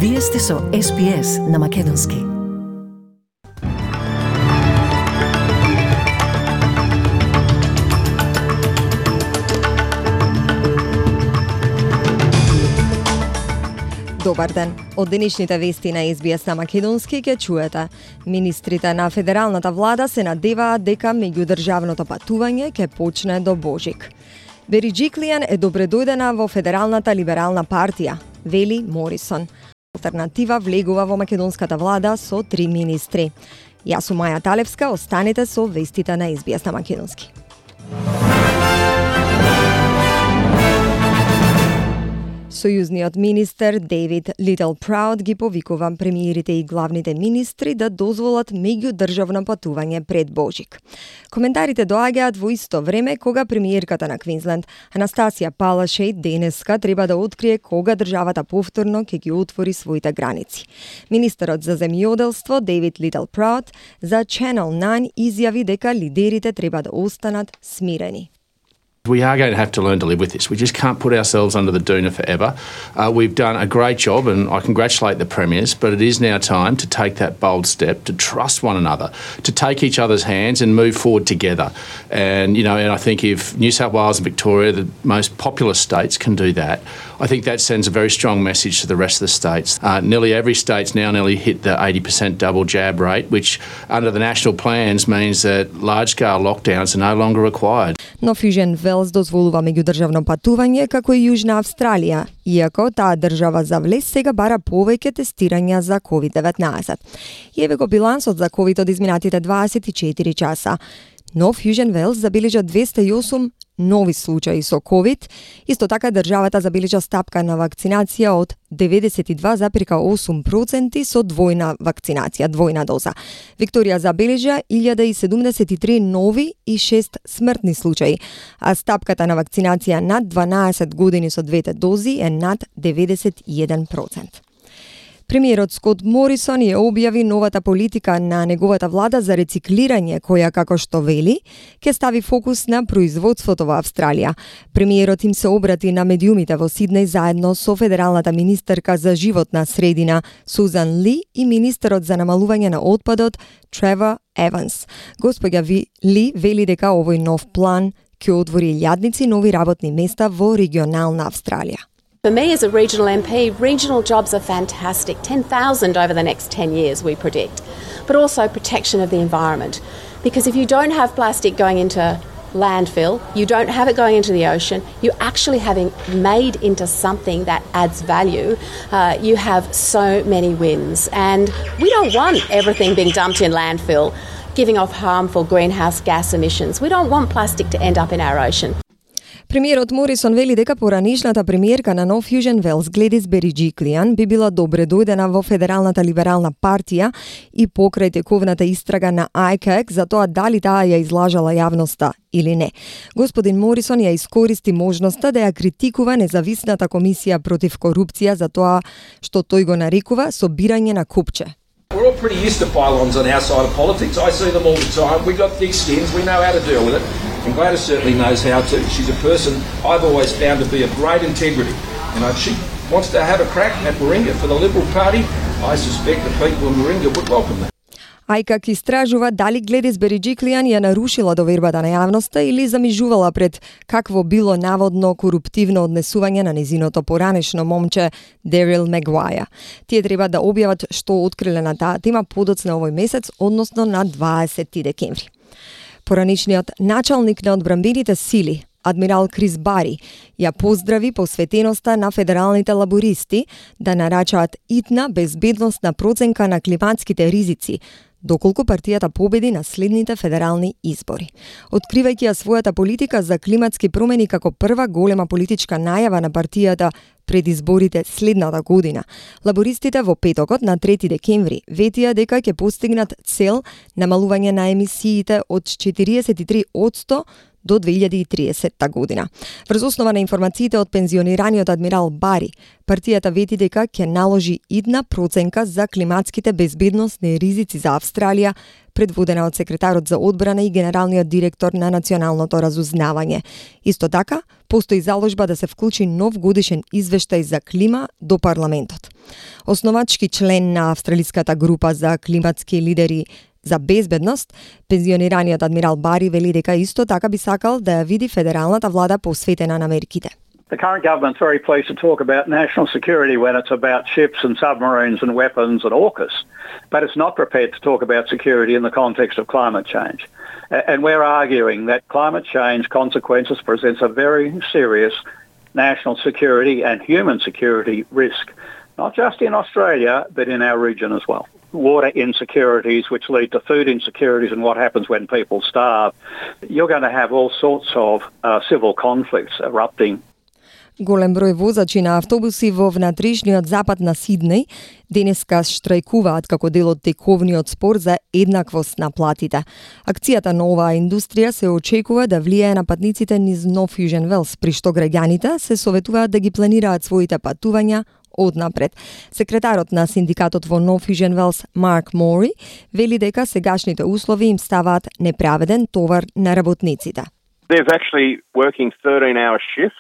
Вие сте со SPS на Македонски. Добар ден. Од денешните вести на SBS на Македонски ќе чуете. Министрите на федералната влада се надеваат дека меѓудржавното патување ќе почне до Божик. Бериџиклијан е добредојдена во Федералната либерална партија, вели Морисон. Алтернатива влегува во македонската влада со 3 министри. Јас сум Маја Талевска, останете со вестите на SBS на Македонски. Сојузниот министер Дейвид Литлпрауд ги повикува премиерите и главните министри да дозволат меѓудржавно патување пред Божик. Коментарите доаѓаат во исто време кога премиерката на Квинсленд Анастасија Палашејд денеска треба да открие кога државата повторно ќе ги отвори своите граници. Министерот за земјоделство Дейвид Литлпрауд за Channel 9 изјави дека лидерите треба да останат смирени. We are going to have to learn to live with this. We just can't put ourselves under the doona forever. We've done a great job, and I congratulate the premiers, but it is now time to take that bold step, to trust one another, to take each other's hands and move forward together. And I think if New South Wales and Victoria, the most populous states, can do that, I think that sends a very strong message to the rest of the states. Nearly every state's now nearly hit the 80% double jab rate, which under the national plans means that large-scale lockdowns are no longer required. Но Fusion Wells дозволува меѓудржавно патување како и Јужна Австралија, иако таа држава за влез сега бара повеќе тестирања за COVID-19. Еве го билансот за COVID од изминатите 24 часа. Но Fusion Wells забележа 208 нови случаи со COVID. Исто така државата забележа стапка на вакцинација од 92,8% со двојна вакцинација, двојна доза. Викторија забележа 1073 нови и 6 смртни случаи, а стапката на вакцинација над 12 години со двете дози е над 91%. Премиерот Скот Морисон ја објави новата политика на неговата влада за рециклирање, која, како што вели, ќе стави фокус на производството во Австралија. Премиерот им се обрати на медиумите во Сиднеј заедно со федералната министерка за животна средина Сузан Ли и министерот за намалување на отпадот Тревор Еванс. Господја Ли вели дека овој нов план ќе отвори илјадници нови работни места во регионална Австралија. For me as a regional MP, regional jobs are fantastic. 10,000 over the next 10 years, we predict. But also protection of the environment. Because if you don't have plastic going into landfill, you don't have it going into the ocean, you're actually having made into something that adds value, you have so many wins. And we don't want everything being dumped in landfill, giving off harmful greenhouse gas emissions. We don't want plastic to end up in our ocean. Премиерот Морисон вели дека поранишната премиерка на нов Fusion Wells Гледис Бериџиклијан би била добре дојдена во Федералната либерална партија и покрај тековната истрага на ICAC за тоа дали таа ја излажала јавноста или не. Господин Морисон ја искористи можноста да ја критикува независната комисија против корупција за тоа што тој го нарекува собирање на купче. We're all pretty used to pylons on our side of politics. I see them all the time. We've got thick skins. We know how to deal with it. And Gladys certainly knows how to. She's a person I've always found to be of great integrity. And if she wants to have a crack at Warringah for the Liberal Party, I suspect the people in Warringah would welcome that. ICAC истражува дали Гледис Бериџиклијан ја нарушила довербата на јавноста или замижувала пред какво било наводно коруптивно однесување на незиното поранешно момче Дерил Мегуаја. Тие треба да објават што откриле на таа тема подоцна овој месец, односно на 20 декември. Поранишниот началник на одбранбените сили, адмирал Крис Бари, ја поздрави посветеноста на федералните лабористи да нарачаат итна безбедносна проценка на климатските ризици, доколку партијата победи на следните федерални избори. Откривајќи ја својата политика за климатски промени како прва голема политичка најава на партијата пред изборите следната година, лабористите во петокот на 3 декември ветија дека ќе постигнат цел намалување на емисиите од 43% до 2030 година. Врз основа на информациите од пензионираниот адмирал Бари, партијата вети дека ќе наложи идна проценка за климатските безбедносни ризици за Австралија, предводена од секретарот за одбрана и генералниот директор на Националното разузнавање. Исто така, постои заложба да се вклучи нов годишен извештај за клима до парламентот. Основачки член на австралиската група за климатски лидери за безбедност, пензионираниот адмирал Бари вели дека исто така би сакал да ја види федералната влада посветена на мерките. The current government's very pleased to talk about national security when it's about ships and submarines and weapons and AUKUS, but it's not prepared to talk about security in the context of climate change. And we're arguing that climate change consequences presents a very serious national security and human security risk, not just in Australia, but in our region as well. Water insecurities, which lead to food insecurities and what happens when people starve. You're going to have all sorts of civil conflicts erupting. Голем број возачи на автобуси во внатрешниот запад на Сиднеј денеска штрајкуваат како дел од тековниот спор за еднаквост на платите. Акцијата на оваа индустрија се очекува да влијае на патниците низ Нов Южен Велс, при што граѓаните се советуваат да ги планираат своите патувања однапред. Секретарот на синдикатот во Нов Южен Велс, Марк Мори, вели дека сегашните услови им ставаат неправеден товар на работниците. They're actually working 13-hour shifts.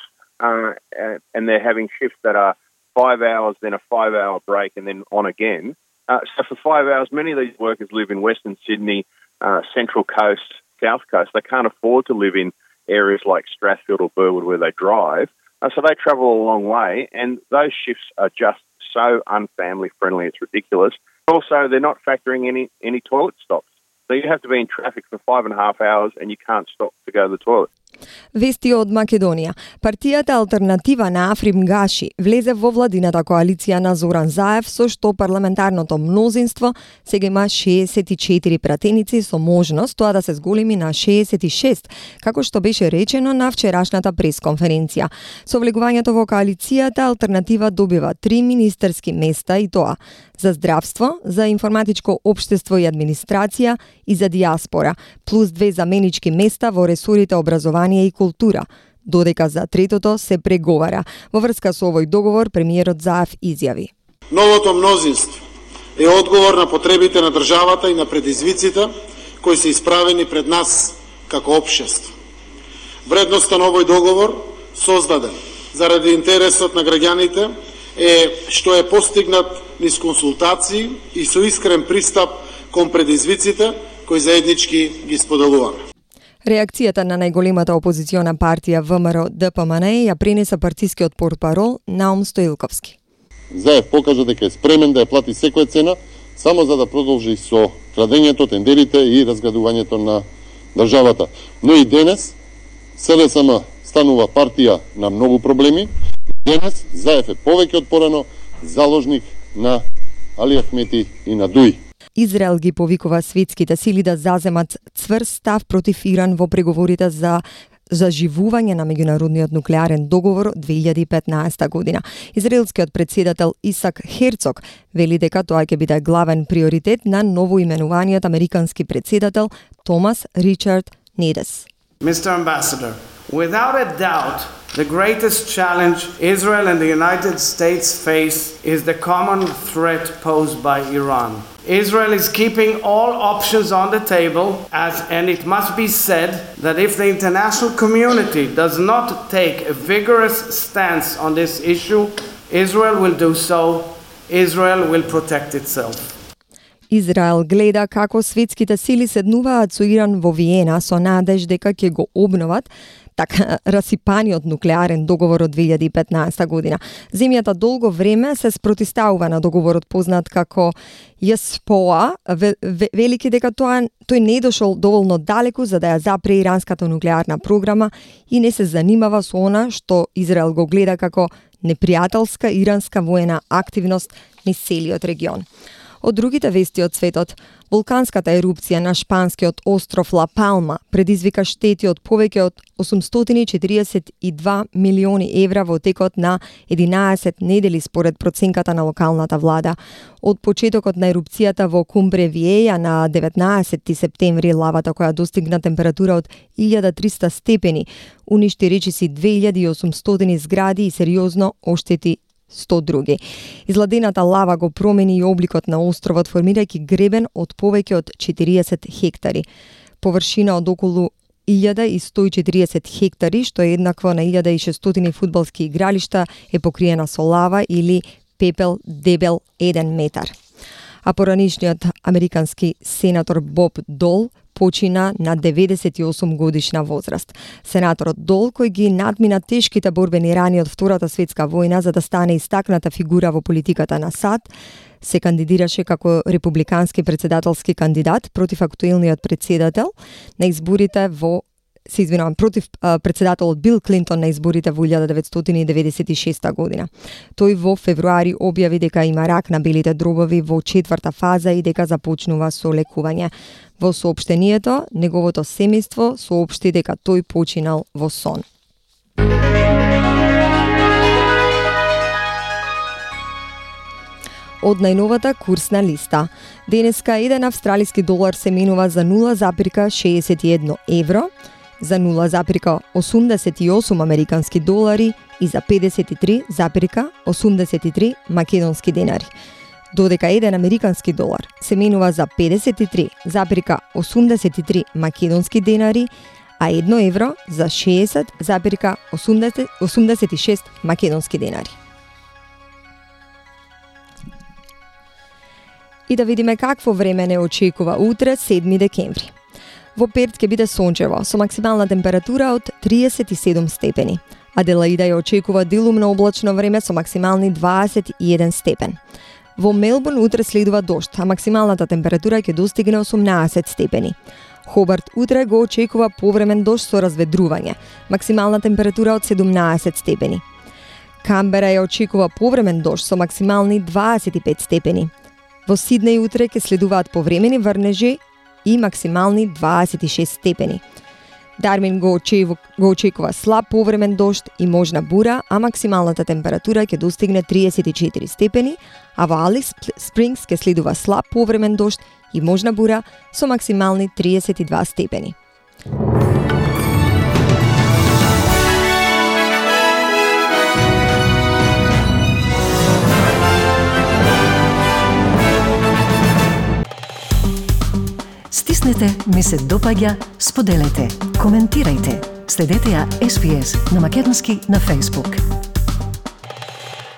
And they're having shifts that are 5 hours, then a 5-hour break, and then on again. So for 5 hours, many of these workers live in Western Sydney, Central Coast, South Coast. They can't afford to live in areas like Strathfield or Burwood where they drive. So they travel a long way, and those shifts are just so unfamily friendly, it's ridiculous. Also, they're not factoring any toilet stops. So you have to be in traffic for 5.5 hours and you can't stop to go to the toilet. Вести од Македонија. Партијата Алтернатива на Африм Гаши влезе во владината коалиција на Зоран Заев, со што парламентарното мнозинство сега има 64 пратеници со можност тоа да се зголеми на 66, како што беше речено на вчерашната пресконференција. Со влегувањето во коалицијата, Алтернатива добива 3 министерски места, и тоа за здравство, за информатичко општество и администрација и за диаспора, плюс 2 заменички места во ресорите образование и култура, додека за третото се преговара. Во врска со овој договор, премиерот Заев изјави: Новото мнозинство е одговор на потребите на државата и на предизвиците кои се исправени пред нас како општество. Вредноста на овој договор, создаден заради интересот на граѓаните, е што е постигнат низ консултации и со искрен пристап кон предизвиците кои заеднички ги споделуваме. Реакцијата на најголемата опозициона партија ВМРО ДПМН ја пренеса партискиот портпарол Наум Стоилковски. Заев покажа дека е спремен да ја плати секоја цена само за да продолжи со крадењето, тендерите и разградувањето на државата. Но и денес СДСМ станува партија на многу проблеми. Денес Заев е повеќе од порано заложник на Али Ахмети и на Дуи. Израел ги повикува светските сили да заземат цврст став против Иран во преговорите за заживување на меѓународниот нуклеарен договор од 2015 година. Израелскиот председател Исак Херцог вели дека тоа ќе биде главен приоритет на новоименуваниот американски председател Томас Ричард Недес. Mr. Ambassador, without a doubt, the greatest challenge Israel and the United States face is the common threat posed by Iran. Israel is keeping all options on the table, and it must be said that if the international community does not take a vigorous stance on this issue, Israel will do so. Israel will protect itself. Израел гледа како светските сили седнуваат со Иран во Виена со надеж дека ќе го обноват така расипаниот нуклеарен договор од 2015 година. Земјата долго време се спротивставува на договорот познат како ЈСПОА, велики дека тој не дошол доволно далеку за да ја запре иранската нуклеарна програма и не се занимава со она што Израел го гледа како непријателска иранска воена активност низ целиот регион. Од другите вести од светот, вулканската ерупција на шпанскиот остров Ла Палма предизвика штети од повеќе од 842 милиони евра во текот на 11 недели според проценката на локалната влада. Од почетокот на ерупцијата во Кумбре Виеја на 19 септември лавата која достигна температура од 1300 степени уништи речиси 2800 згради и сериозно оштети 100 други. Изладената лава го промени и обликот на островот, формирајќи гребен од повеќе од 40 хектари. Површина од околу 1140 хектари, што е еднакво на 1600 фудбалски игралишта, е покриена со лава или пепел дебел 1 метар. А поранишниот американски сенатор Боб Дол почина на 98 годишна возраст. Сенаторот Дол, кој ги надмина тешките борбени рани од Втората светска војна за да стане истакната фигура во политиката на САД, се кандидираше како републикански председателски кандидат против актуелниот председател на изборите против председателот Бил Клинтон на изборите во 1996 година. Тој во февруари објави дека има рак на белите дробови во 4-та фаза и дека започнува со лекување. Во соопштението, неговото семејство соопшти дека тој починал во сон. Од најновата курсна листа. Денеска еден австралиски долар се менува за 0,61 евро, за 0,88 американски долари и за 53,83 македонски денари. Додека еден американски долар се менува за 53,83 македонски денари, а 1 евро за 60,86 македонски денари. И да видиме какво време не очекува утре, 7 декември. Во Перт ќе биде сончево, со максимална температура од 37 степени. Аделаида ја очекува делумно облачно време со максимални 21 степен. Во Мелбурн утре следува дожд, а максималната температура ќе достигне 18 степени. Хобарт утре го очекува повремен дожд со разведрување, максимална температура од 17 степени. Камбера ја очекува повремен дожд со максимални 25 степени. Во Сиднеј утре ќе следуваат повремени врнежи и максимални 26 степени. Дарвин го очекува слаб повремен дожд и можна бура, а максималната температура ќе достигне 34 степени, а во Алис Спрингс ќе следува слаб повремен дожд и можна бура со максимални 32 степени. Стиснете, ми се допаѓа, споделете, коментирајте. Следете ја SPS на македонски на Facebook.